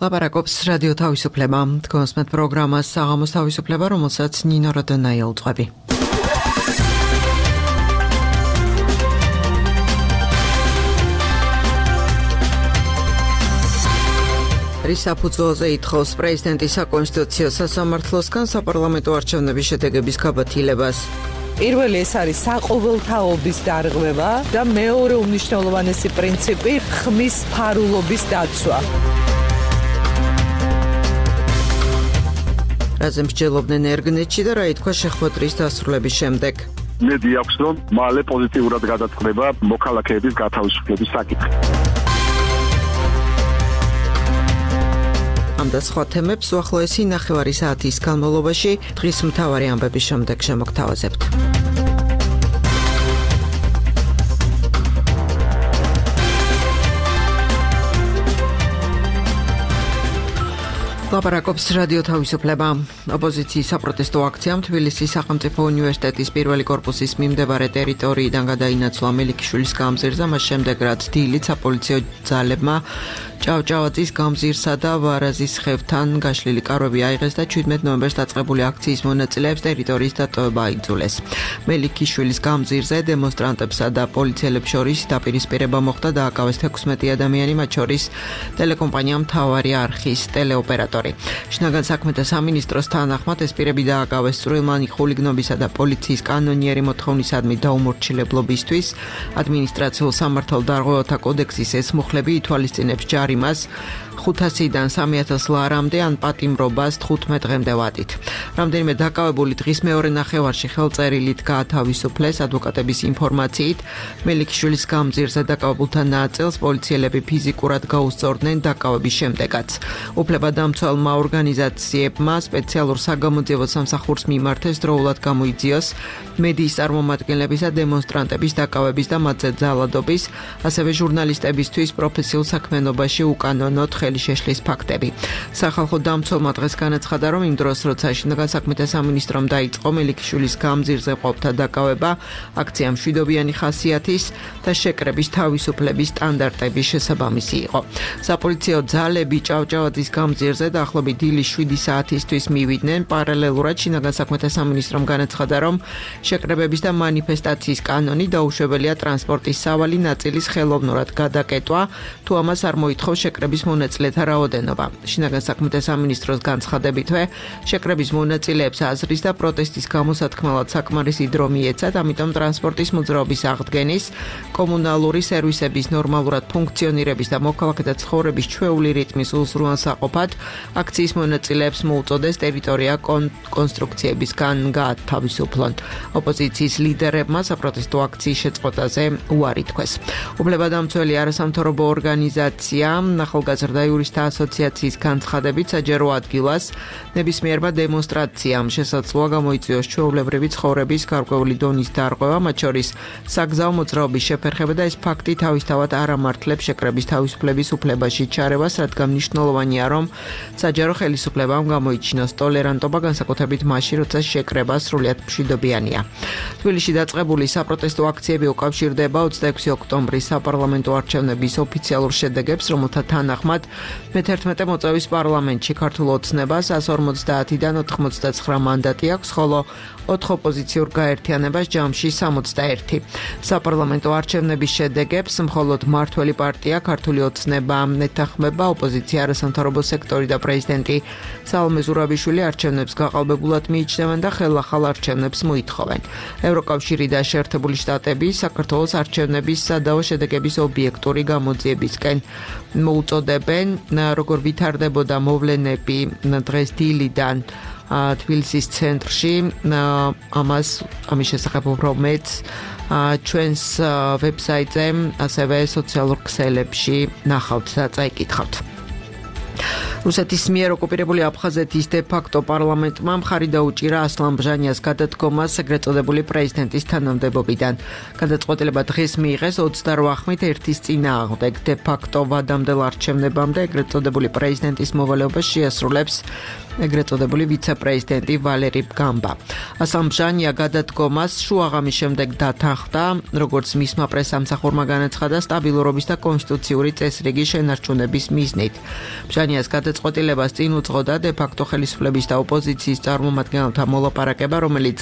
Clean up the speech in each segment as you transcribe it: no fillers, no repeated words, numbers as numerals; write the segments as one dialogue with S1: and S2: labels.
S1: ლაპარაკობს რადიო თავისუფლება. თქვენს მეტ პროგრამას საღამოს თავისუფლება, რომელსაც ნინო როდონაი ელწყვები. რისაფუძველზე ითხოვს პრეზიდენტის საკონსტიტუციო სასამართლოსგან საპარლამენტო არჩევნების შედეგების გაბათილებას.
S2: პირველი ეს არის საყოველთაობის დარღვევა და მეორე უმნიშვნელოვანესი პრინციპი ხმის ფარულობის დაცვა.
S1: რაზე მსჯელობდნენ ერგნეტში და რა ითქვა შეხვედრის დასრულების შემდეგ.
S3: მედი აქვს, რომ მალე პოზიტიურად გადაწყდება მოქალაქეების გათავისუფლების საკითხი.
S1: ამ და სხვა თემებს უახლოესი ნახევარი საათის განმავლობაში დღის მთავარი ამბების შემდეგ შემოგთავაზებთ. ლაპარაკობს რადიო თავისუფლება. ოპოზიციის საპროტესტო აქციამ თბილისის სახელმწიფო უნივერსიტეტის პირველი კორპუსის მიმდებარე ტერიტორიიდან გადაინაცვლა მელიქიშვილის გამზირზე, მას შემდეგ რაც დილით საპოლიციო ძალებმა ჭავჭავაძის გამზირსა და ვარაზის ხევთან გაშლილი კარვები აიღეს და 17 ნოემბერს დაწყებული აქციის მონაწილეებს ტერიტორიის დატოვება აიძულეს. მელიქიშვილის გამზირზე დემონსტრანტებსა და პოლიციელებს შორის დაპირისპირება მოხდა და აკავეს 16 ადამიანი, მათ შორის ტელეკომპანია მთავარი არხის ტელეოპერატორი. შინაგან საქმეთა სამინისტროს თანახმად ეს პირები დააკავეს წვრილმანი ხულიგნობისა და პოლიციის კანონიერი მოთხოვნისადმი დაუმორჩილებლობისთვის. ადმინისტრაციულ სამართალ დარღვევათა კოდექსის ეს მუხლები ითვალისწინებს ჯარიმას 500-დან 3000 ლარამდე ან პატიმრობას 15 დღემდე ვადით. რამდენიმე დაკავებული დღის მეორე ნახევარში ხელწერილით გაათავისუფლეს. ადვოკატების ინფორმაციით მელიქიშვილის გამზირზე დაკავებულთა ნაწილს პოლიციელები ფიზიკურად გაუსწორდნენ დაკავების შემდეგაც. უფლებადამცველმა ორგანიზაციებმა სპეციალურ საგამოძიებო სამსახურს მიმართეს დროულად გამოიძიოს მედიის წარმომადგენლების და დემონსტრანტების დაკავების და მათზე ძალადობის, ასევე ჟურნალისტებისთვის პროფესიულ საქმიანობაში უკანონოდ ხელი შეშლის ფაქტები. სახალხო დამცველმა დღეს განაცხადა, რომ იმ დროს, როცა შინაგან საქმეთა სამინისტრომ დაიწყო მელიქიშვილის გამზირზე მყოფთა დაკავება, აქცია მშვიდობიანი ხასიათის და შეკრების თავისუფლების სტანდარტების შესაბამისი იყო. საპოლიციო ძალები ჭავჭავაძის გამზირზე დაახლოებით დილის 7 საათისთვის მივიდნენ. პარალელურად შინაგან საქმეთა სამინისტრომ განაცხადა, რომ შეკრებების და მანიფესტაციის კანონი დაუშვებელია ტრანსპორტის სავალი ნაწილის ხელოვნურად გადაკეტვა, თუ ამას არ მოითხოვს შეკრების მონაწილეთა რაოდენობა. შინაგან საქმეთა სამინისტროს განცხადებითვე შეკრების მონაწილეებს აზრის და პროტესტის გამოსათქმელად საკმარისი დრო მიეცათ, ამიტომ ტრანსპორტის მოძრაობის აღდგენის, კომუნალური სერვისების ნორმალურად ფუნქციონირების და მოქალაქეთა ცხოვრების ჩვეული რიტმის უზრუნველსაყოფად აქციის მონაწილეებს მოუწოდეს ტერიტორია კონსტრუქციებისგან გაათავისუფლონ. ოპოზიციის ლიდერებმა საპროტესტო აქციის შეწყვეტაზე უარი თქვეს. უფლებადამცველი არასამთავრობო ორგანიზაცია ახალგაზრდა იურისტთა ასოციაციის განცხადებით საჯარო ადგილას ნებისმიერმა დემონსტრაციამ შესაძლოა გამოიწვიოს ჩვეულებრივი ცხოვრების გარკვეული დონის დარღვევა, მათ შორის საგზაო მოძრაობის შეფერხება და ეს ფაქტი თავისთავად არ ამართლებს შეკრების თავისუფლების უფლებაში ჩარევას, რადგან მნიშვნელოვანია, რომ საჯარო ხელისუფლებამ გამოიჩინოს ტოლერანტობა, განსაკუთრებით მაშინ, როცა შეკრება სრულიად მშვიდობიანია. თბილისში დაწყებული საპროტესტო აქციები უკავშირდება 26 ოქტომბრის საპარლამენტო არჩევნების ოფიციალურ შედეგებს, რომელთა თანახმად მე-11 მოწვევის პარლამენტში ქართულ ოცნებას 150-დან 99 მანდატი აქვს, ხოლო 4 ოპოზიციურ გაერთიანებას ჯამში 61. საპარლამენტო არჩევნების შედეგებს მხოლოდ მმართველი პარტია ქართული ოცნება ეთანხმება, ოპოზიცია არასამთავრობო სექტორი და პრეზიდენტი სალომე ზურაბიშვილი არჩევნებს გაყალბებულად მიიჩნევენ და ხელახალ არჩევნებს მოითხოვენ. ევროკავშირი და შეერთებული შტატები საქართველოს არჩევნების სადავო შედეგების ობიექტური გამოძიებისკენ მოუწოდებენ. როგორ ვითარდებოდა მოვლენები დღეს დილიდან თბილისის ცენტრში, ამის შესახებ უფრო მეც ჩვენს ვებსაიტზე, ასევე სოციალურ ქსელებში ნახავთ და წაიკითხავთ. რუსეთის მიერ ოკუპირებული აფხაზეთის დე-ფაქტო პარლამენტმა მხარი დაუჭირა ასლან ბჟანიას გადადგომას ეგრეთ წოდებული პრეზიდენტის თანამდებობიდან. გადაწყვეტილება დღეს მიიღეს 28 ხმით ერთის წინააღმდეგ. დე-ფაქტო ვადამდელ არჩევნებამდე ეგრეთ წოდებული პრეზიდენტის მოვალეობას შეასრულებს ეგრეთ წოდებული ვიცე-პრეზიდენტი ვალერი გამბა. ასლამ-ბჟანია გადადგომას შუაღამის შემდეგ დათანხმდა, როგორც მისმა პრესამსახურმა განაცხადა სტაბილურობის და კონსტიტუციური წესრიგის შენარჩუნების მიზნით. ბჟანიას გადაწყვეტილებას წინ უძღოდა დე-ფაქტო ხელისუფლების და ოპოზიციის წარმომადგენელთა მოლაპარაკება, რომელიც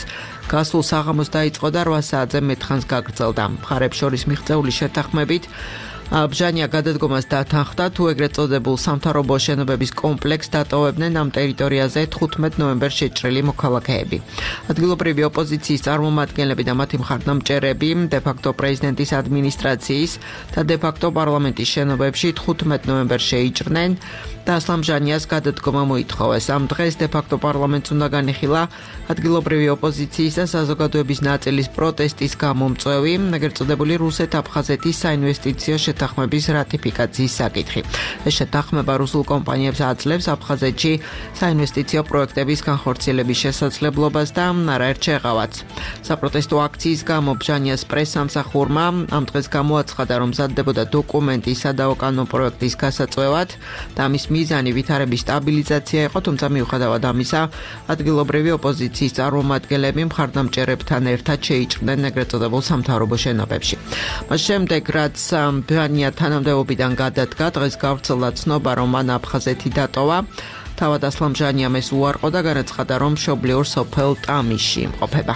S1: გასულ საღამოს დაიწყო და 8 საათზე მეტხანს გაგრძელდა. მხარებს შორის მიღწეული შეთანხმებით ბჟანია გადადგომას დათანხმდა, თუ ეგრეთ წოდებულ სამთავრობო შენობების კომპლექსს დატოვებდნენ ამ ტერიტორიაზე 15 ნოემბერს შეჭრილი მოქალაქეები. ადგილობრივი ოპოზიციის წარმომადგენლები და მათი მხარდამჭერები დე-ფაქტო პრეზიდენტის ადმინისტრაციის და დე-ფაქტო პარლამენტის შენობებში 15 ნოემბერს შეიჭრნენ და ასლამ-ბჟანიას გადადგომა მოითხოვეს. ამ დღეს დე-ფაქტო პარლამენტს უნდა განიხილა ადგილობრივი ოპოზიციის და საზოგადოების ნაწილის პროტესტის გამომწვევი, ეგრეთ წოდებული რუსეთ-აფხაზეთის საინვესტიციო შეთანხმების რატიფიკაციის საკითხი. ეს შეთანხმება რუსულ კომპანიებს აძლევს აფხაზეთში საინვესტიციო პროექტების განხორციელების შესაძლებლობას და არაერთ შეღავაც. საპროტესტო აქციის გამო ბჟანიას პრესამსახურმა ამ დღეს გამოაცხადა, რომ მზადდებოდა დოკუმენტი სადავო-კანონო პროექტის გასაწვევად და ამის მიზანი ვითარების სტაბილიზაცია იყო, თუმცა მიუხედავად ამისა, ადგილობრივი ოპოზიციის წარმომადგენლები მხარდამჭერებთან ერთად შეიჭრნენ ეგრეთ წოდებულ სამთავრობო შენობებში. მას შემდეგ, რაც ბჟანია თანამდებობიდან გადადგა, დღეს გავრცელდა ცნობა, რომ მან აფხაზეთი დატოვა. თავად ასლამ-ბჟანიამ ეს უარყო და განაცხადა, რომ მშობლიურ სოფელ ტამიში იმყოფება.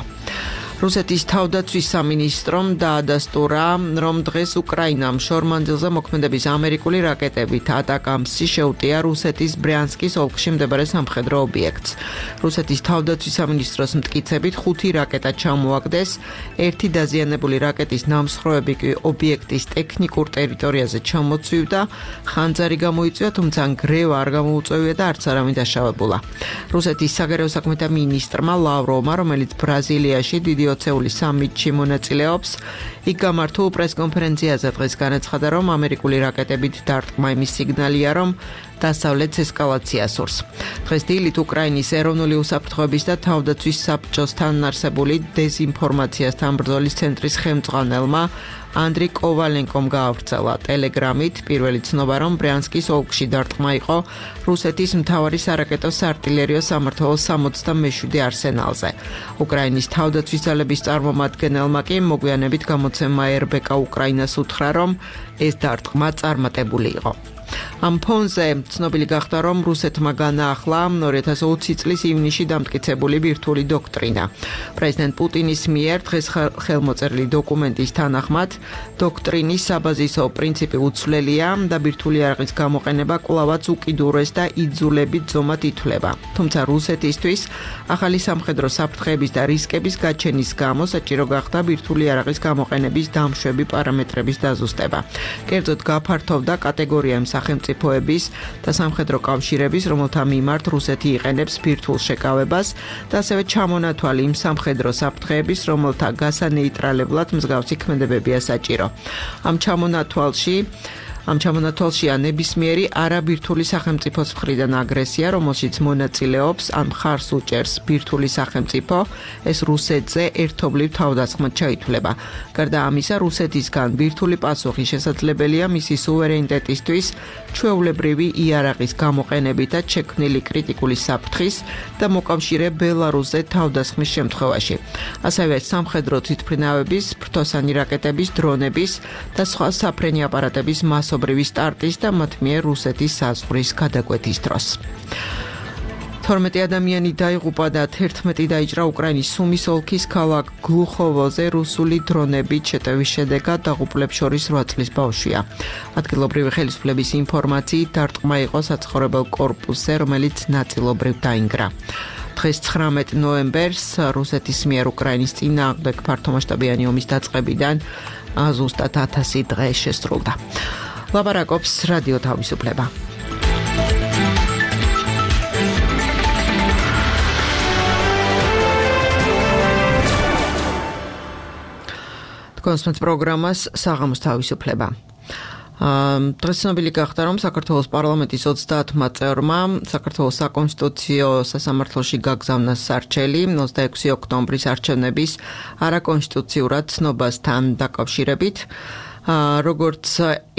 S1: რუსეთის თავდაცვის სამინისტრომ დაადასტურა, რომ დღეს უკრაინამ შორ-მანძილზე მოქმედების ამერიკული რაკეტებით ატაკამსი შეუტია რუსეთის ბრიანსკის ოლქში მდებარე სამხედრო ობიექტს. რუსეთის თავდაცვის სამინისტროს მტკიცებით 5 რაკეტა ჩამოაგდეს, 1 დაზიანებული რაკეტის ნამსხვრევები კი ობიექტის ტექნიკურ ტერიტორიაზე ჩამოწვივდა, ხანძარი გამოიწვია, თუმცა ნგრევა არ გამოუწვევია და არც არავინ დაშავებულა. რუსეთის საგარეო საქმეთა მინისტრმა ლავროვმა, რომელიც ბრაზილიაში დიდი ოცეული სამიტში მონაწილეობს, იქ გამართულ პრესკონფერენციაზე დღეს განაცხადა, რომ ამერიკული რაკეტებით დარტყმა იმის სიგნალია, რომ დასავლეთს ესკალაცია სურს. დღეს დილით უკრაინის ეროვნული უსაფრთხოების და თავდაცვის საბჭოსთან არსებული დეზინფორმაციასთან ბრძოლის ცენტრის ხელმძღვანელმა ანდრი კოვალენკომ გაავრცელა ტელეგრამით პირველი ცნობა, რომ ბრიანსკის ოლქში დარტყმა იყო რუსეთის მთავარი სარაკეტო საარტილერიო სამმართველოს 67 არსენალზე. უკრაინის თავდაცვის ძალების წარმომადგენელმა კი მოგვიანებით გამოცემა RBK უკრაინას უთხრა, რომ ეს დარტყმა წარმატებული იყო. ამ ფონზე ცნობილი გახდა, რომ რუსეთმა განაახლა 2020 წლის ივნისში დამტკიცებული ბირთვული დოქტრინა. პრეზიდენტ პუტინის მიერ დღეს ხელმოწერილი დოკუმენტის თანახმად, დოქტრინის საბაზისო პრინციპი უცვლელია და ბირთვული იარაღის გამოყენება კვლავაც უკიდურეს და იძულებით ზომად ითვლება. თუმცა რუსეთისთვის ახალი სამხედრო საფრთხეების და რისკების გაჩენის გამო საჭირო გახდა ბირთვული იარაღის გამოყენების დამშვები პარამეტრების დაზუსტება. კერძოდ გაფართოვდა კატეგორია სახელმწიფოების და სამხედრო კავშირების, რომელთა მიმართ რუსეთი იყენებს ბირთვულ შეკავებას და ასევე ჩამონათვალი იმ სამხედრო საფრთხეების, რომელთა გასანეიტრალებლად მსგავსი ქმედებებია საჭირო. ამ ჩამონათვალშია ნებისმიერი არაბირთვული სახელმწიფოს მხრიდან აგრესია, რომელშიც მონაწილეობს ან მხარს უჭერს ბირთვული სახელმწიფო, ეს რუსეთზე ერთობლივ თავდასხმად ჩაითვლება. გარდა ამისა, რუსეთისგან ბირთვული პასუხი შესაძლებელია მისი სუვერენიტეტისთვის ჩვეულებრივი იარაღის გამოყენებითაც შექმნილი კრიტიკული საფრთხის და მოკავშირე ბელარუსზე თავდასხმის შემთხვევაში. ასევე სამხედრო თვითმფრინავების, ფრთოსანი რაკეტების, დრონების და სხვა საფრენი აპარატების მასობრივი სტარტის და მათ მიერ რუსეთის საზღვრის გადაკვეთის დროს. 12 ადამიანი დაიღუპა და 11 დაიჭრა უკრაინის სუმის ოლქის ქალაქ გლუხოვოზე რუსული დრონებით შეტევის შედეგად დაღუპულებს შორის 8 წლის ბავშვია. ადგილობრივი ხელისუფლების ინფორმაციით დარტყმა იყო საცხოვრებელ კორპუსზე, რომელიც ნაწილობრივ დაინგრა. დღეს 19 ნოემბერს რუსეთის მიერ უკრაინის წინააღმდეგ ფართომასშტაბიანი ომის დაწყებიდან ზუსტად 1000 დღე შესრულდა. ლაპარაკობს რადიო თავისუფლება. კონსმეთ პროგრამას საღამოს თავისუფლება. დღეს ცნობილი გახდა, რომ საქართველოს პარლამენტის 30 წევრმა საქართველოს საკონსტიტუციო სასამართლოში გაგზავნა სარჩელი 26 ოქტომბრის არჩევნების არაკონსტიტუციურად ცნობასთან დაკავშირებით. როგორც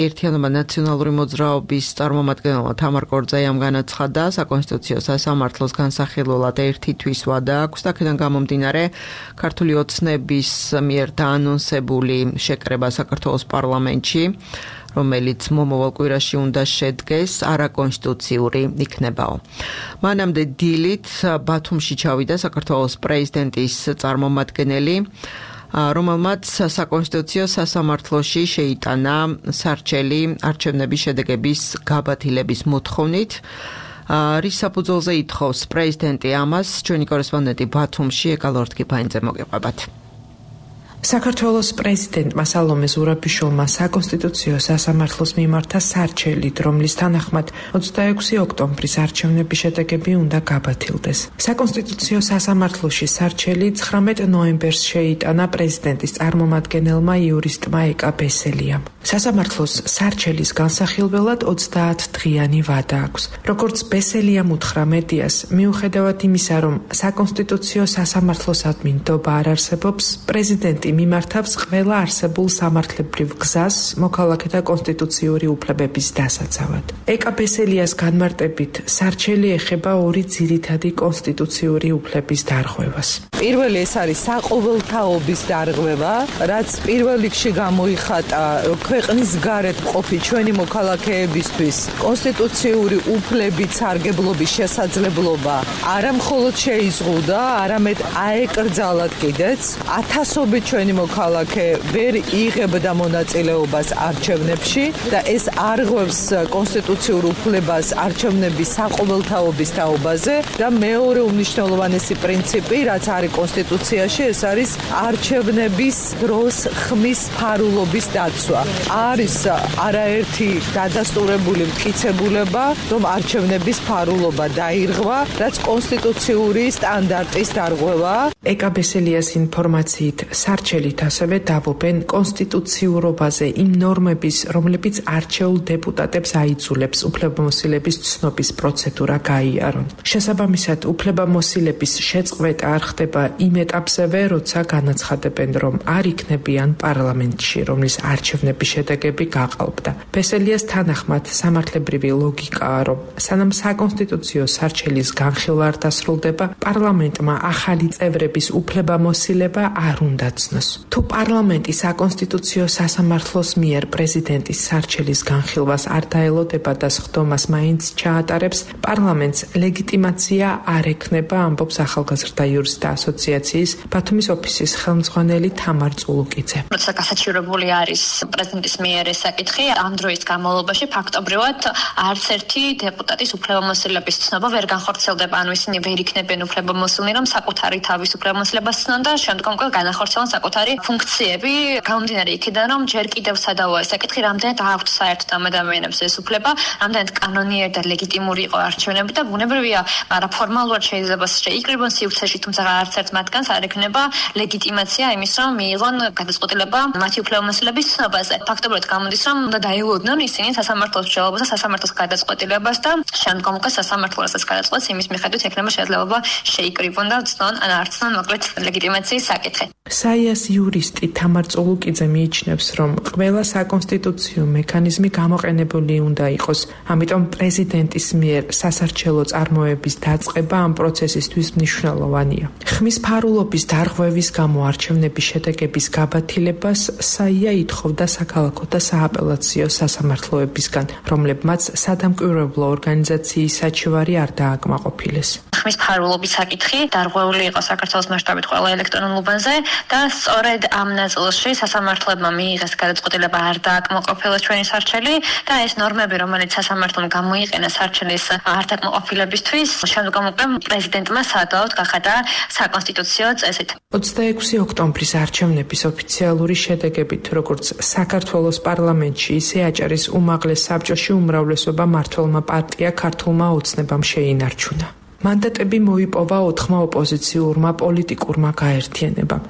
S1: ერთიანობა ნაციონალური მოძრაობის წარმომადგენელმა თამარ კორძაიამ განაცხადა, საკონსტიტუციო სასამართლოს განსახილველად 1 თვის ვადა აქვს და აქედან გამომდინარე ქართული ოცნების მიერ დაანონსებული შეკრება საქართველოს პარლამენტში, რომელიც მომავალ კვირაში უნდა შედგეს, არაკონსტიტუციური იქნებაო. მანამდე დილით ბათუმში ჩავიდა საქართველოს პრეზიდენტის წარმომადგენელი, რომელმაც საკონსტიტუციო სასამართლოში შეიტანა სარჩელი არჩევნების შედეგების გაბათილების მოთხოვნით. რის საფუძველზე ითხოვს პრეზიდენტი ამას, ჩვენი კორესპონდენტი ბათუმში ეკალორთკიფაინძე მოგეყვებათ.
S4: საქართველოს პრეზიდენტმა სალომე ზურაბიშვილმა საკონსტიტუციო სასამართლოს მიმართა სარჩელით, რომლის თანახმად 26 ოქტომბრის არჩევნების შედეგები უნდა გაბათილდეს. საკონსტიტუციო სასამართლოში სარჩელი 19 ნოემბერს შეიტანა პრეზიდენტის წარმომადგენელმა იურისტმა ეკა ბესელიამ. სასამართლოს სარჩელის განსახილველად 30 დღიანი ვადა აქვს. როგორც ბესელიამ უთხრა მედიას, მიუხედავად იმისა, რომ საკონსტიტუციო სასამართლოსადმი ნდობა არ არსებობს, პრეზიდენტი მიმართავს ყველა არსებულ სამართლებრივ გზას მოქალაქეთა კონსტიტუციური უფლებების დასაცავად. ეკა ბესელიას განმარტებით, სარჩელი ეხება 2 ძირითადი კონსტიტუციური უფლების დარღვევას.
S2: პირველი ეს არის საყოველთაობის დარღვევა, რაც პირველ რიგში გამოიხატა ქვეყნის გარეთ მყოფი ჩვენი მოქალაქეებისთვის კონსტიტუციური უფლებით სარგებლობის შესაძლებლობა არა მხოლოდ შეიზღუდა, არამედ აეკრძალათ კიდეც. ათასობით ჩვენი მოქალაქე ვერ იღებდა მონაწილეობას არჩევნებში და ეს არღვევს კონსტიტუციურ უფლებას არჩევნების საყოველთაობის თაობაზე და მეორე უმნიშვნელოვანესი პრინციპი, რაც არის კონსტიტუციაში, ეს არის არჩევნების დროს ხმის ფარულობის დაცვა. არის არაერთი დადასტურებული მტკიცებულება, რომ არჩევნების ფარულობა დაირღვა, რაც კონსტიტუციური სტანდარტის დარღვევაა.
S4: ეკა ბესელიას ინფორმაციით, სარჩელით ასევე დავობენ კონსტიტუციურობაზე იმ ნორმების, რომლებიც არჩეულ დეპუტატებს აიძულებს უფლებამოსილების ცნობის პროცედურა გაიარონ. შესაბამისად, უფლებამოსილების შეწყვეტა არ ხდება იმ ეტაპზევე, როცა განაცხადებენ, რომ არ იქნებიან პარლამენტში, რომლის არჩევნების შედეგები გაყალბდა. ბესელიას თანახმად, სამართლებრივი ლოგიკაა, რომ სანამ საკონსტიტუციო სარჩელის განხილვა არ დასრულდება, პარლამენტმა ახალი წევრების უფლებამოსილება არ უნდა ცნოს. თუ პარლამენტი საკონსტიტუციო სასამართლოს მიერ პრეზიდენტის სარჩელის განხილვას არ დაელოდება და სხდომას მაინც ჩაატარებს, პარლამენტს ლეგიტიმაცია არ ექნება, ამბობს ახალგაზრდა იურისტთა ასოციაციის ბათუმის ოფისის ხელმძღვანელი თამარ წულუკიძე.
S5: როცა გასაჩივრებული არის პრეზიდენტის მიერ ეს საკითხი, ამ დროის განმავლობაში ფაქტობრივად არც ერთი დეპუტატის უფლებამოსილების ცნობა ვერ განხორციელდება, ანუ ისინი ვერ იქნებიან უფლებამოსილნი, რომ საკუთარი თავის უფლებამოსილებას ცნონ და შემდგომ უკვე განახორციელონ საკუთარი ფუნქციები, გამომდინარე იქიდან, რომ ჯერ კიდევ სადავოა ეს საკითხი, რამდენად აქვთ საერთოდ ამ ადამიანებს ეს უფლება, რამდენად კანონიერი და ლეგიტიმური იყო არჩევნები და ბუნებრივია, მაგრამ ფორმალურად შეიძლება შეიკრიბონ სივრცეში, თუმცა არც ერთ მათგანს არ ექნება ლეგიტიმაცია იმის, რომ მიიღონ გადაწყვეტილება მათი უფლებამოსილების ცნობაზე. ფაქტობრივად გამოდის, რომ უნდა დაეულოდნონ ისინი სასამართლოს მსჯელობას და სასამართლოს გადაწყვეტილებას და შემდგომ უკვე სასამართლო რასაც გადაწყვეტს, იმის მიხედვით ექნება შესაძლებლობა შეიკრიბონ და ცნონ ან არ ცნონ მოკლედ ლეგიტიმაციის საკითხი.
S4: საიას იურისტი თამარ წულუკიძე მიიჩნევს, რომ ყველა საკონსტიტუციო მექანიზმი გამოყენებული უნდა იყოს, ამიტომ პრეზიდენტის მიერ სასარჩელო წარმოების დაწყება ამ პროცესისთვის მნიშვნელოვანია. ხმის ფარულობის დარღვევის გამო არჩევნების შედეგების გაბათილებას საია ითხოვდა საქალაქო და სააპელაციო სასამართლოებისგან, რომლებმაც სადამკვირვებლო ორგანიზაციის საჩივარი არ დააკმაყოფილეს.
S5: ხმის ფარულობის საკითხი დარღვეული იყო საქართველოს მასშტაბით ყველა ელექტრონულ უბანზე და სწორედ ამ ნაწილში სასამართლებმა მიიღეს გადაწყვეტილება არ დააკმაყოფილეს ჩვენი სარჩელი და ეს ნორმები, რომელიც სასამართლომ გამოიყენა სარჩელის არ დაკმაყოფილებისთვის, შემდგომ უკვე პრეზიდენტმა სადავოდ გახადა საკონსტიტუციო წესით.
S4: 26 ოქტომბრის არჩევნების ოფიციალური შედეგებით, როგორც საქართველოს პარლამენტში, ისე აჭარის უმაღლეს საბჭოში უმრავლესობა მმართველმა პარტია ქართულმა ოცნებამ შეინარჩუნა. მანდატები მოიპოვა 4 ოპოზიციურმა პოლიტიკურმა გაერთიანებამ.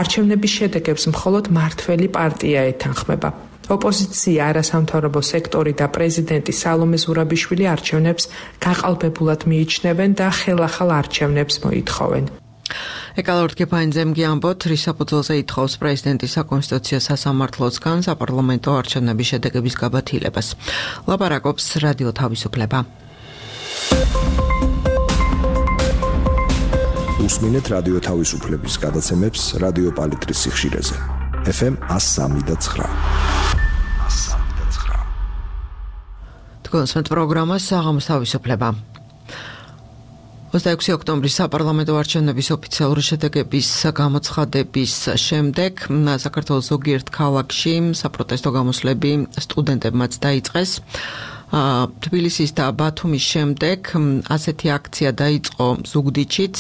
S4: არჩევნების შედეგებს მხოლოდ მმართველი პარტია ეთანხმება. ოპოზიცია, არასამთავრობო სექტორი და პრეზიდენტი სალომე ზურაბიშვილი არჩევნებს გაყალბებულად მიიჩნევენ და ხელახალ არჩევნებს მოითხოვენ.
S1: ეკალორდ გეფაინძემგი ამბოთ, რის საფუძველზე ითხოვს პრეზიდენტის საკონსტიტუციო სასამართლოსგან საპარლამენტო არჩევნების შედეგების გაბათილებას. ლაპარაკობს რადიო თავისუფლება.
S6: უსმინეთ რადიო თავისუფლების გადაცემებს რადიო პალიტრის სიხშირეზე. FM 103.9.
S1: თქვენს პროგრამას საღამოს თავისუფლება. 26 ოქტომბრის საპარლამენტო არჩევნების ოფიციალური შედეგების გამოცხადების შემდეგ საქართველოს ზოგიერთ ქალაქში საპროტესტო გამოსვლები სტუდენტებმაც დაიწყეს. თბილისის და ბათუმის შემდეგ ასეთი აქცია დაიწყო ზუგდიდშიც.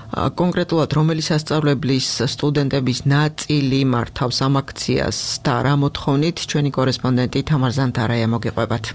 S1: კონკრეტულად რომელი სასწავლებლის სტუდენტების ნაწილი მართავს ამ აქციას და რა მოთხოვნით ჩვენი კორესპონდენტი თამარ ზანთარაია მოგიყვებათ.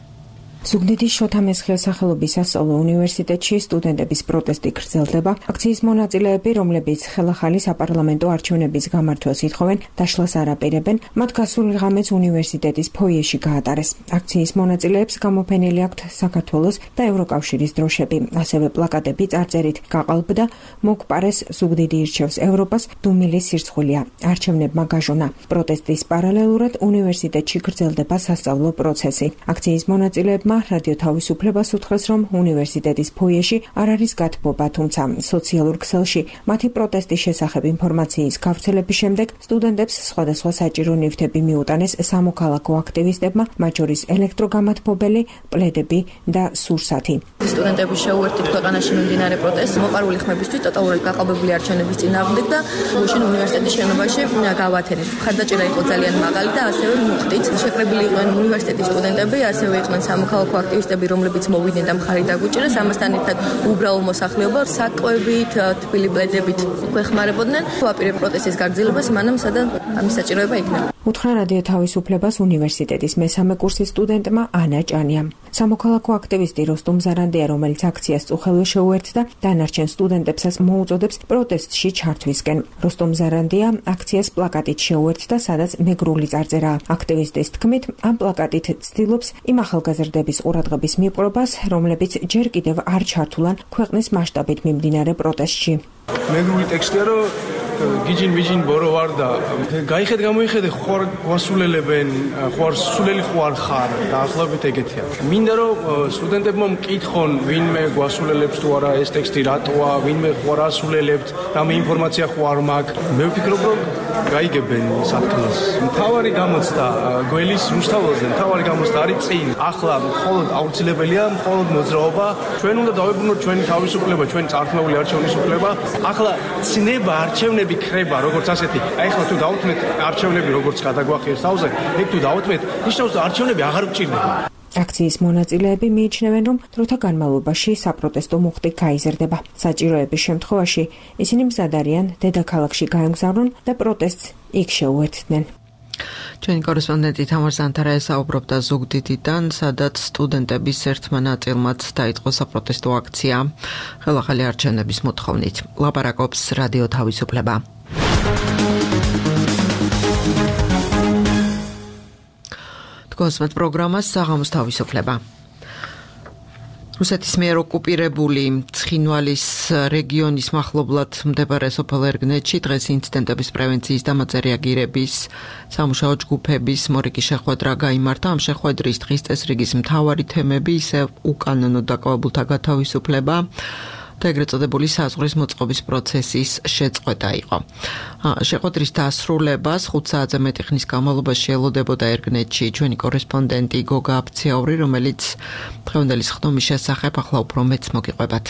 S7: ზუგდიდის შოთა მესხიას სახელობის სასწავლო უნივერსიტეტში სტუდენტების პროტესტი გრძელდება. აქციის მონაწილეები, რომლებიც ხელახალი საპარლამენტო არჩევნების გამართვას ითხოვენ, დაშლას არ აპირებენ, მათ გასული ღამეც უნივერსიტეტის ფოიეში გაატარეს. აქციის მონაწილეებს გამოფენილი აქვთ საქართველოს და ევროკავშირის დროშები, ასევე პლაკატები წარწერით გაყალბდა, მოგპარეს ზუგდიდი ირჩევს ევროპას, დუმილის სირცხვილია, არჩევნებმა გაჟონა. პროტესტის პარალელურად უნივერსიტეტში გრძელდება სასწავლო პროცესი. აქციის მონაწილეებმა რადიო თავისუფლებას უთხრეს, რომ უნივერსიტეტის ფოიეში არ არის გათბობა, თუმცა სოციალურ ქსელში მათი პროტესტის შესახებ ინფორმაციის გავრცელების შემდეგ სტუდენტებს სხვადასხვა საჭირო ნივთები მიუტანეს სამოქალაქო აქტივისტებმა, მათ შორის ელექტროგამათბობელი, პლედები და სურსათი.
S8: სტუდენტების შეუერთდით ქვეყანაში მიმდინარე პროტესტს მოყარული ხმებისთვის ტოტალურად გაყალბებული არჩევნების წინააღმდეგ და გუშინ უნივერსიტეტის შენობაში გავათენით. მხარდაჭერა იყო ძალიან მაღალი და ასევე მუხტით. შეკრებილი იყვნენ უნივერსიტეტის სტუდენტები, ასევე იყვნენ სამოქალაქო აქტივისტები, რომლებიც მოვიდნენ და მხარი დაგვიჭირეს. ამასთან ერთად უბრალო მოსახლეობა საკვებით, თბილი პლედებით გვეხმარებოდნენ. ვაპირებ პროტესტის გაგრძელებას, მანამ სადაც ამის საჭიროება იქნება.
S7: უთხრა რადიო თავისუფლებას უნივერსიტეტის მესამე კურსის სტუდენტმა ანა ჭანიამ. სამოქალაქო აქტივისტი როსტომ ზარანდია, რომელიც აქციას წუხელვე შეუერთდა, დანარჩენ სტუდენტებსაც მოუწოდებს პროტესტში ჩართვისკენ. როსტომ ზარანდია აქციას პლაკატით შეუერთდა, სადაც მეგრული წარწერაა. აქტივისტის თქმით, ამ პლაკატით ცდილობს იმ ახალგაზრდების ყურადღების მიპყრობას, რომლებიც ჯერ კიდევ არ ჩართულან ქვეყნის მასშტაბით მიმდინარე პროტესტში.
S9: მეგრული ტექსტია, რომ გიჯინ ბორო ვარ და გაიხედ გამოიხედე ხوار გვასულელებენ, ხوار სულელი ხوار ხარ და ახლობით ეგეთია. მინდა რომ სტუდენტებმა მკითხონ, ვინმე გვასულელებს თუ არა ეს ტექსტი რატოა, ვინმე ხوار ასულელებთ, რამე ინფორმაცია ხوار მაქვს. მე ვფიქრობ, რომ გაიგებენ სათქმელს. მთავარი გამოცდა გველის რუსთაველზე, მთავარი გამოცდა არის წინ. ახლა მხოლოდ აუცილებელია, მხოლოდ მოძრაობა. ჩვენ უნდა დავებრუნოთ ჩვენი თავისუფლება, ჩვენი წარქმეული არჩევნის უფლება. ახლა ცნება არჩევნები ხრება, როგორც ასეთი. აი ახლა თუ დავუთმეთ არჩევნები როგორც გადაგვახიერს თავზე, ეგ თუ დავუთმეთ, ნიშნავს რომ არჩევნები აღარ გჭირდება.
S7: აქციის მონაწილეები მიიჩნევენ, რომ დროთა განმავლობაში საპროტესტო მუხტი გაიზრდება. საჭიროების შემთხვევაში ისინი მზად არიან დედაქალაქში გაემგზავრონ და პროტესტს იქ შეუერთდნენ.
S1: ჩვენი კორესპონდენტი თამარ ზანთარაია საუბრობდა ზუგდიდიდან, სადაც სტუდენტების ერთმა ნაწილმაც დაიწყო საპროტესტო აქცია ხელახალი არჩევნების მოთხოვნით. ლაპარაკობს რადიო თავისუფლება. თქვენს პროგრამას საღამოს თავისუფლება. რუსეთის მიერ ოკუპირებული ცხინვალის რეგიონის მახლობლად მდებარე სოფელ ერგნეთში დღეს ინციდენტების პრევენციის და მათზე რეაგირების სამუშაო ჯგუფების მორიგი შეხვედრა გაიმართა. ამ შეხვედრის დღის წესრიგის მთავარი თემები ისე უკანონო დაკვებულთა გათავისუფლება და ეგრეთ წოდებული საზღვრის მოწყობის პროცესის შეწყვეტა იყო. შეხვედრის დასრულებას 5 საათზე მეტი ხნის განმავლობაში ელოდებოდა ერგნეთში ჩვენი კორესპონდენტი გოგა აფციაური, რომელიც დღევანდელი ხდომის შესახებ ახლა უფრო მეტს მოგიყვებათ.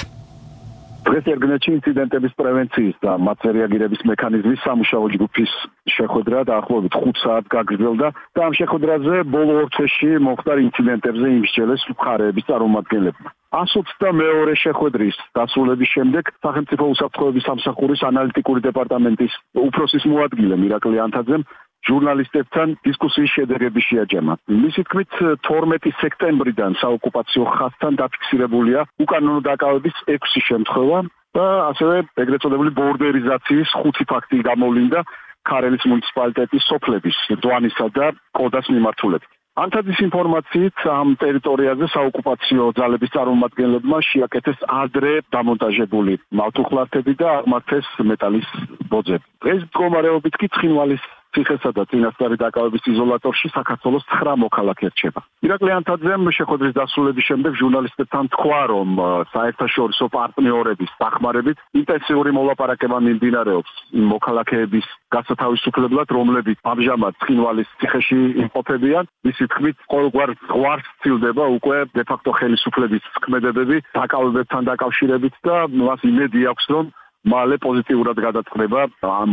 S3: დღეს ერგნეთში ინციდენტების პრევენციის და მათზე რეაგირების მექანიზმის სამუშაო ჯგუფის შეხვედრა დაახლოებით 5 საათს გაგრძელდა და ამ შეხვედრაზე ბოლო ორ თვეში მომხდარ ინციდენტებზე იმსჯელეს მხარეების წარმომადგენლებმა. 122 შეხვედრის დასრულების შემდეგ სახელმწიფო უსაფრთხოების სამსახურის ანალიტიკური დეპარტამენტის უფროსის მოადგილე მირაკლი ანთაძემ ჟურნალისტებთან დისკუსიის შედეგები შეაჯამა. მისი თქმით 12 სექტემბრიდან საოკუპაციო ხაზთან დაფიქსირებულია უკანონო დაკავების 6 შემთხვევა და ასევე ეგრეთ წოდებული ბორდერიზაციის 5 ფაქტი გამოვლინდა ქარელის მუნიციპალიტეტის სოფლების დვანისა და კოდას მიმართულებით. ანთაძის ინფორმაციით ამ ტერიტორიაზე საოკუპაციო ძალების წარმომადგენლებმა შეაკეთეს ადრე დამონტაჟებული მავთუხლართები და აღმართეს მეტალის ბოძები. დღეს მდგომარეობით კი ცხინვალის ციხესა და წინასწარი დაკავების იზოლატორში საქართველოს 9 მოქალაქე რჩება. ირაკლი ანთაძემ შეხვედრის დასრულების შემდეგ ჟურნალისტებთან თქვა, რომ საერთაშორისო პარტნიორების დახმარებით ინტენსიური მოლაპარაკება მიმდინარეობს იმ მოქალაქეების გასათავისუფლებლად, რომლებიც ამჟამად ცხინვალის ციხეში იმყოფებიან. მისი თქმით, ყოველგვარ ზღვარს ცილდება უკვე დე-ფაქტო ხელისუფლების ქმედებები დაკავებებთან დაკავშირებით და მას იმედი აქვს, რომ მალე პოზიტიურად გადაწყდება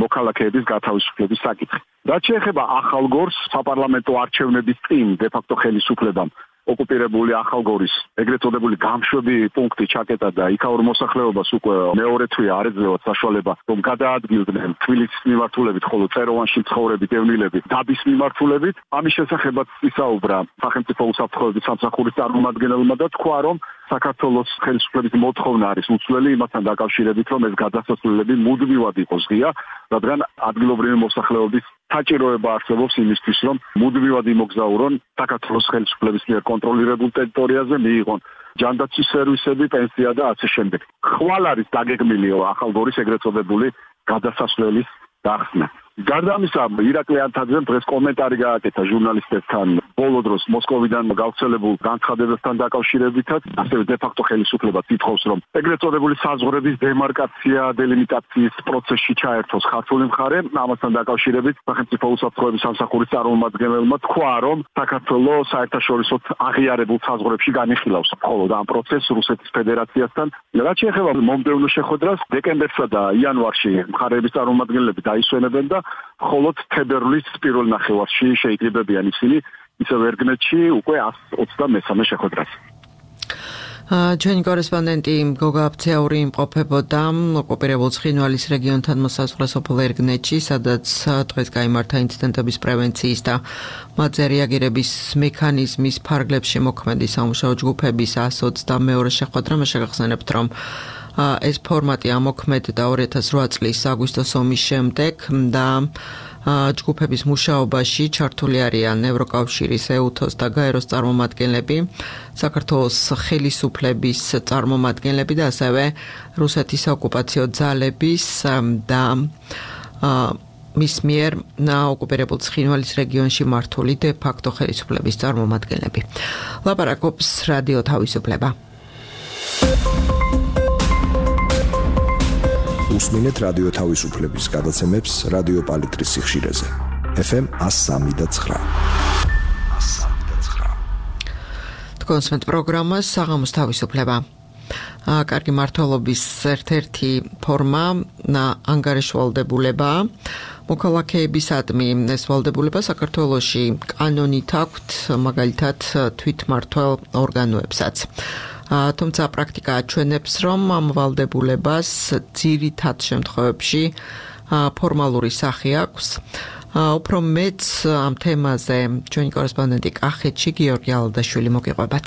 S3: მოქალაქეების გათავისუფლების საკითხი. რაც შეეხება ახალგორს, საპარლამენტო არჩევნების წინ დე-ფაქტო ხელისუფლებამ ოკუპირებული ახალგორის ეგრეთ წოდებული გამშვები პუნქტი ჩაკეტა და იქაურ მოსახლეობას უკვე მეორე თვე არ ეძლევათ საშუალება, რომ გადაადგილდნენ თბილისის მიმართულებით, ხოლო წეროვანში მცხოვრები დევნილები დაბის მიმართულებით. ამის შესახებაც ისაუბრა სახელმწიფო უსაფრთხოების სამსახურის წარმომადგენელმა და თქვა, რომ საქართველოს ხელისუფლების მოთხოვნა არის უცვლელი იმასთან დაკავშირებით, რომ ეს გადასასვლელები მუდმივად იყოს ღია, რადგან ადგილობრივი მოსახლეობის საჭიროება არსებობს იმისთვის, რომ მუდმივად იმოგზაურონ საქართველოს ხელისუფლების მიერ კონტროლირებულ ტერიტორიაზე, მიიღონ ჯანდაცვის სერვისები, პენსია და ასე შემდეგ. ხვალ არის დაგეგმილი ახალგორის ეგრეთ წოდებული გადასასვლელის გახსნა. გარდა ამისა, ირაკლი ანთაძემ დღეს კომენტარი გააკეთა ჟურნალისტებთან ბოლო დროს მოსკოვიდან გავრცელებულ განცხადებებთან დაკავშირებითაც, ასევე დე-ფაქტო ხელისუფლება თითხოვს, რომ ეგრეთ წოდებული საზღვრების დემარკაცია, დელიმიტაციის პროცესში ჩაერთოს ქართული მხარე. ამასთან დაკავშირებით სახელმწიფო უსაფრთხოების სამსახურის წარმომადგენელმა თქვა, რომ საქართველოს საერთაშორისოდ აღიარებულ საზღვრებში განიხილავს მხოლოდ ამ პროცესს რუსეთის ფედერაციასთან. რაც შეეხება მომდევნო შეხვედრას, დეკემბერსა და იანვარში მხარეების წარმომადგენლები დაისვენებენ და მხოლოდ თებერვლის პირველ ნახევარში შეიკრიბებიან ისინი ისევ ერგნეთში უკვე 123 შეხვედრას.
S1: ჩვენი კორესპონდენტი გოგა აბცეაური იმყოფებოდა ოკუპირებულ ცხინვალის რეგიონთან მოსაზღვრე სოფელ ერგნეთში, სადაც დღეს გაიმართა ინციდენტების პრევენციის და მათზე რეაგირების მექანიზმის ფარგლებში მოქმედი სამუშაო ჯგუფების 122 შეხვედრა. მე შეგახსენებთ, რომ ეს ფორმატი ამოქმედდა 2008 წლის აგვისტოს ომის შემდეგ და ჯგუფების მუშაობაში ჩართული არიან ევროკავშირის, ეუთოს და გაეროს წარმომადგენლები, საქართველოს ხელისუფლების წარმომადგენლები და ასევე რუსეთის ოკუპაციო ძალების და მის მიერ ოკუპირებულ ცხინვალის რეგიონში მართული დე-ფაქტო ხელისუფლების წარმომადგენლები. ლაპარაკობს რადიო თავისუფლება.
S6: უსმინეთ რადიო თავისუფლების გადაცემებს რადიო პალიტრის სიხშირეზე. FM 103.9.
S1: თქვენს პროგრამას საღამოს თავისუფლება. კარგი მართლობის ერთ-ერთი ფორმა ანგარიშვალდებულება. მოქალაქეებისადმი ეს ვალდებულება საქართველოში კანონით აქვთ, მაგალითად თვითმმართველ ორგანოებსაც. თუმცა პრაქტიკა აჩვენებს, რომ ამ ვალდებულებას ძირითად შემთხვევებში ფორმალური სახე აქვს. უფრო მეც ამ თემაზე ჩვენი კორესპონდენტი კახეთში გიორგი ალადაშვილი მოგიყვებათ.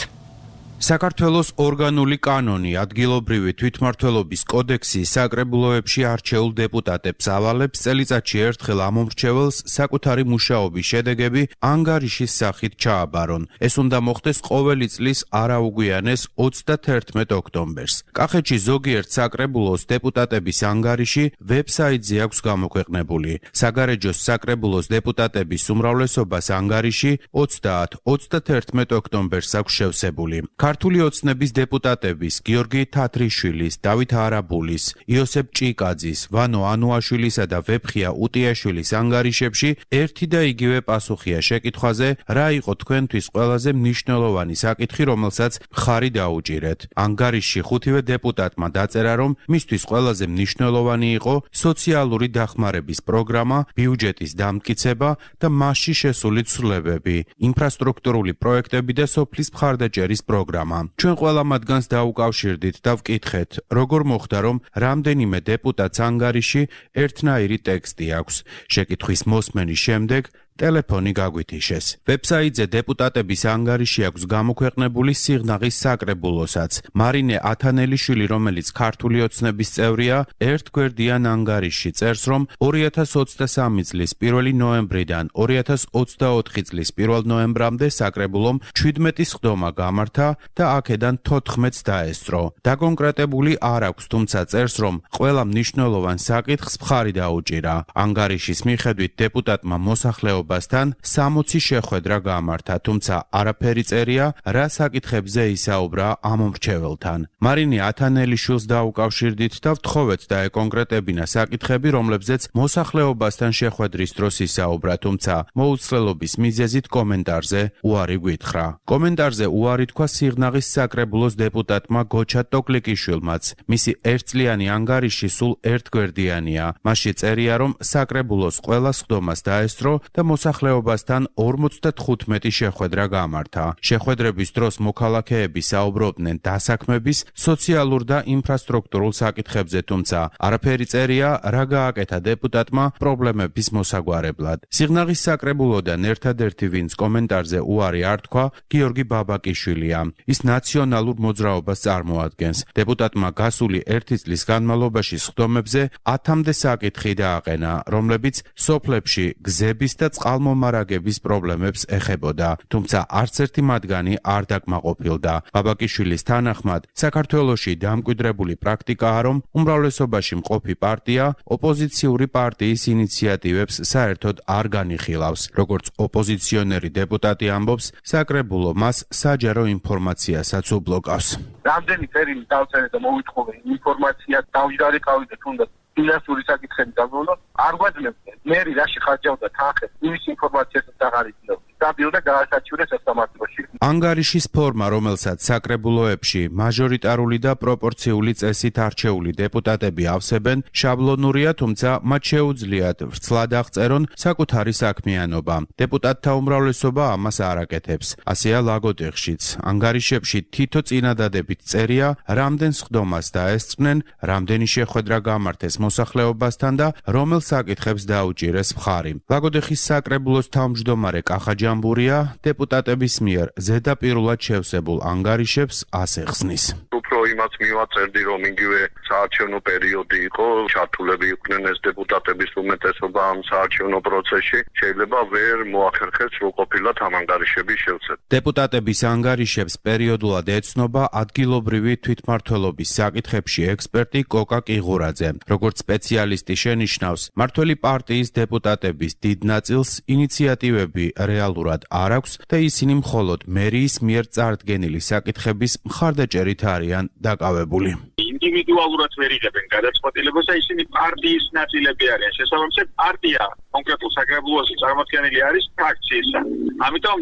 S10: საქართველოს ორგანული კანონი ადგილობრივი თვითმმართველობის კოდექსი საკრებულოებში არჩეულ დეპუტატებს ავალებს წელიწადში ერთხელ ამომრჩეველს საკუთარი მუშაობის შედეგები ანგარიშის სახით ჩააბარონ. ეს უნდა მოხდეს ყოველი წლის არაუგვიანეს 31 ოქტომბერს. კახეთში ზოგიერთ საკრებულოს დეპუტატების ანგარიში ვებსაიტზე აქვს გამოქვეყნებული. საგარეჯოს საკრებულოს დეპუტატების უმრავლესობას ანგარიში 30-31 ოქტომბერს აქვს შევსებული. ქართული ოცნების დეპუტატების გიორგი თათრიშვილის, დავით არაბულის, იოსებ ჭიკაძის, ვანო ანუაშვილისა და ვეფხია უტიაშვილის ანგარიშებში ერთი და იგივე პასუხია შეკითხვაზე, რა იყო თქვენთვის ყველაზე მნიშვნელოვანი საკითხი, რომელსაც მხარი დაუჭირეთ. ანგარიშში ხუთივე დეპუტატმა დაწერა, რომ მისთვის ყველაზე მნიშვნელოვანი იყო სოციალური დახმარების პროგრამა, ბიუჯეტის დამტკიცება და მასში შესული ცვლილებები, ინფრასტრუქტურული პროექტები და სოფლის მხარდაჭერის პროგრამა. ჩვენ ყველა მათგანს დაუკავშირდით და ვკითხეთ, როგორ მოხდა, რომ რამდენიმე დეპუტატს ანგარიში ერთნაირი ტექსტი აქვს. შეკითხვის მოსმენის შემდეგ ტელეფონი გაგვითიშეს. ვებსაიტზე დეპუტატების ანგარიში აქვს გამოქვეყნებული სიღნაღის საკრებულოსაც. მარინე ათანელიშვილი, რომელიც ქართული ოცნების წევრია, ერთგვერდიან ანგარიში წერს, რომ 2023 წლის 1 ნოემბრიდან 2024 წლის 1 ნოემბრამდე საკრებულომ 17 სხდომა გამართა და აქედან 14-ს დაესწრო. დაკონკრეტებული არ აქვს, თუმცა წერს, რომ ყველა მნიშვნელოვან საკითხს მხარი დაუჭირა. ანგარიშის მიხედვით დეპუტატმა მოსახლეობასთან 60 შეხვედრა გამართა, თუმცა არაფერი წერია, რა საკითხებზე ისაუბრა ამ მრჩეველთან. მარინე ათანელიშვილს დაუკავშირდით და ვთხოვეთ დაეკონკრეტებინა საკითხები, რომლებზეც მოსახლეობასთან შეხვედრის დროს ისაუბრა, თუმცა მოუცლელობის მიზეზით კომენტარზე უარი გვითხრა. კომენტარზე უარი თქვა სიღნაღის საკრებულოს დეპუტატმა გოჩა ტოკლიკიშვილმაც. მისი ერთწლიანი ანგარიში სულ ერთგვერდიანია. მასში წერია, რომ საკრებულოს ყველა სხდომას დაესწრო და მოსახლეობასთან 55 შეხვედრა გამართა. შეხვედრების დროს მოქალაქეები საუბრობდნენ დასაქმების, სოციალურ და ინფრასტრუქტურულ საკითხებზე, თუმცა არაფერი წერია, რა გააკეთა დეპუტატმა პრობლემების მოსაგვარებლად. სიღნაღის საკრებულოდან ერთადერთი, ვინც კომენტარზე უარი არ თქვა, გიორგი ბაბაკიშვილია. ის ნაციონალურ მოძრაობას წარმოადგენს. დეპუტატმა გასული 1 წლის განმავლობაში სხდომებზე 1000-მდე საკითხი დააყენა, რომლებიც სოფლებში გზების და წყალმომარაგების პრობლემებს ეხებოდა, თუმცა არც ერთი მათგანი არ დაკმაყოფილდა. ბაბაკიშვილის თანახმად, საქართველოში დამკვიდრებული პრაქტიკაა, რომ უმრავლესობაში მყოფი პარტია ოპოზიციური პარტიის ინიციატივებს საერთოდ არ განიხილავს. როგორც ოპოზიციონერი დეპუტატი ამბობს, საკრებულო მას საჯარო ინფორმაციასაც უბლოკავს.
S11: რამდენი წერილი დავწერე და მოვიტყოვე ინფორმაცია დავიარეკავი და თუნდაც ფინანსური საკითხები დაგვონო, არ გვაძლევდა. მე რაში ხარჯავდა თანხებს, იმის ინფორმაციასაც აღარ იცნობ. დაბილდა გაასაჩივრეს სასამართლოში.
S10: ანგარიშის ფორმა, რომელსაც საკრებულოებში მაჟორიტარული და პროპორციული წესით არჩეული დეპუტატები ავსებენ, შაბლონურია, თუმცა მათ შეუძლიათ ვრცლად აღწერონ საკუთარი საქმიანობა. დეპუტატთა უმრავლესობა ამას არ აკეთებს. ასეა ლაგოდეხშიც. ანგარიშებში თითო წინადადებით წერია, რამდენ სხდომას დაესწრნენ, რამდენი შეხვედრა გამართეს მოსახლეობასთან და რომელ საკითხებს დაუჭირეს მხარი. ლაგოდეხის საკრებულოს თავმჯდომარე კახა ჯამბურია დეპუტატების მიერ ზედაპირულად შევსებულ ანგარიშებს ასეხსნის.
S11: უფრო იმაც მივაწერდი, რომ იგივე საარჩევნო პერიოდი იყო, ჩართულები იყვნენ ეს დეპუტატების უმეტესობა ამ საარჩევნო პროცესში, შეიძლება ვერ მოახერხეს, რომ ყოფილად ამ ანგარიშების შევსება.
S10: დეპუტატების ანგარიშებს პერიოდულად ეცნობა ადგილობრივი თვითმმართველობის საკითხებში ექსპერტი კოკა კიღურაძე. როგორც სპეციალისტი შენიშნავს, მმართველი პარტიის დეპუტატების დიდ ნაწილს ინიციატივები რეალურად არ აქვს და ისინი მხოლოდ მერიის მიერ წარდგენილი საკითხების მხარდაჭერით არიან დაკავებული.
S11: ინდივიდუალურად ვერ იღებენ გადაწყვეტილებას და ისინი პარტიის ნაწილები არიან. შესაბამისად, პარტია კონკრეტულ საკრებულოში წარმოქმნილი არის ფრაქციისა. ამიტომ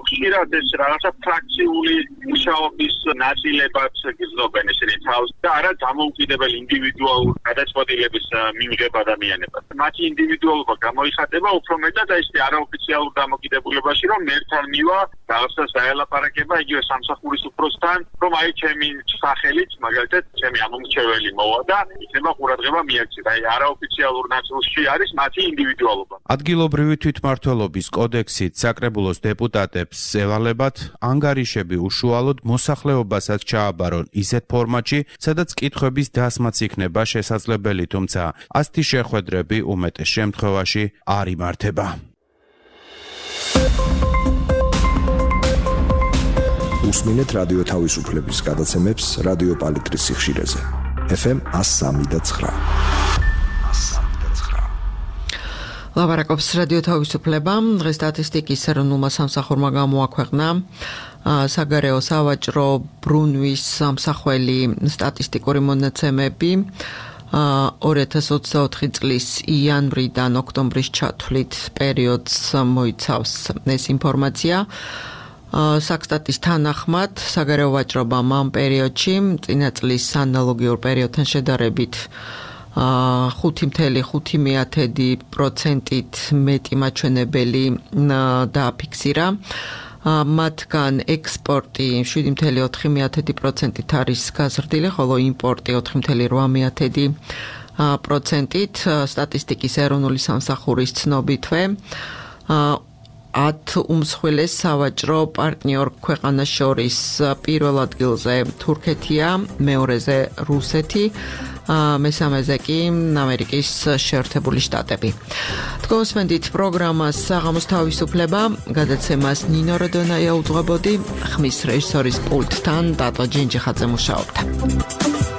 S11: ხშირად ეს რაღაცა ფრაქციული მუშაობის ნაწილებად გრძნობენ ისინი თავს და არა დამოუკიდებელ ინდივიდუალურ გადაწყვეტილების მიღება ადამიანებად. მათი ინდივიდუალობა გამოიხატება უფრო მეტად ეს არაოფიციალურ დამოკიდებულებაში, რომ ერთთან მივა რაღაცას დაელაპარაკება იგივე სამსახურის უფროსთან, რომ აი ჩემი სახელით, მაგალითად, ჩემი ამომრჩეველი მოვა და იქნება ყურადღება მიექცეთ. აი არაოფიციალურ ნაწილში არის მათი ინდივიდუალობა.
S10: ადგილობრივი თვითმმართველობის კოდექსით საკრებულოს დეპუტატებს ევალებათ ანგარიშები უშუალოდ მოსახლეობასაც ჩააბარონ ისეთ ფორმატში, სადაც კითხვების დასმაც იქნება შესაძლებელი, თუმცა ასეთი შეხვედრები უმეტეს შემთხვევაში არ იმართება.
S6: უსმინეთ რადიო თავისუფლების გადაცემებს რადიო პალიტრის სიხშირეზე. FM 103.9.
S1: ლაპარაკობს რადიო თავისუფლება. დღეს სტატისტიკის ეროვნულმა სამსახურმა გამოაქვეყნა საგარეო სავაჭრო ბრუნვის სამსახველი სტატისტიკური მონაცემები 2024 წლის იანვრიდან ოქტომბრის ჩათვლით პერიოდს მოიცავს ეს ინფორმაცია. საქსტატის თანახმად საგარეო ვაჭრობამ ამ პერიოდში წინა წლის ანალოგიურ პერიოდთან შედარებით 5.5%-ით მეტი მაჩვენებელი დააფიქსირა. მათგან ექსპორტი 7.4%-ით არის გაზრდილი, ხოლო იმპორტი 4.8%-ით სტატისტიკის ეროვნული სამსახურის ცნობითვე. 10 უმსხვილეს სავაჭრო პარტნიორ ქვეყანას შორის პირველ ადგილზე თურქეთია, მეორეზე რუსეთი, მესამეზე კი ამერიკის შეერთებული შტატები. თქვენსმენდით პროგრამას საღამოს თავისუფლება, გადაცემას ნინო როდონაია უძღვებოდი, ხმის რეჟისორის პულტთან დატო ჯენჯიხაძე მუშაობდა.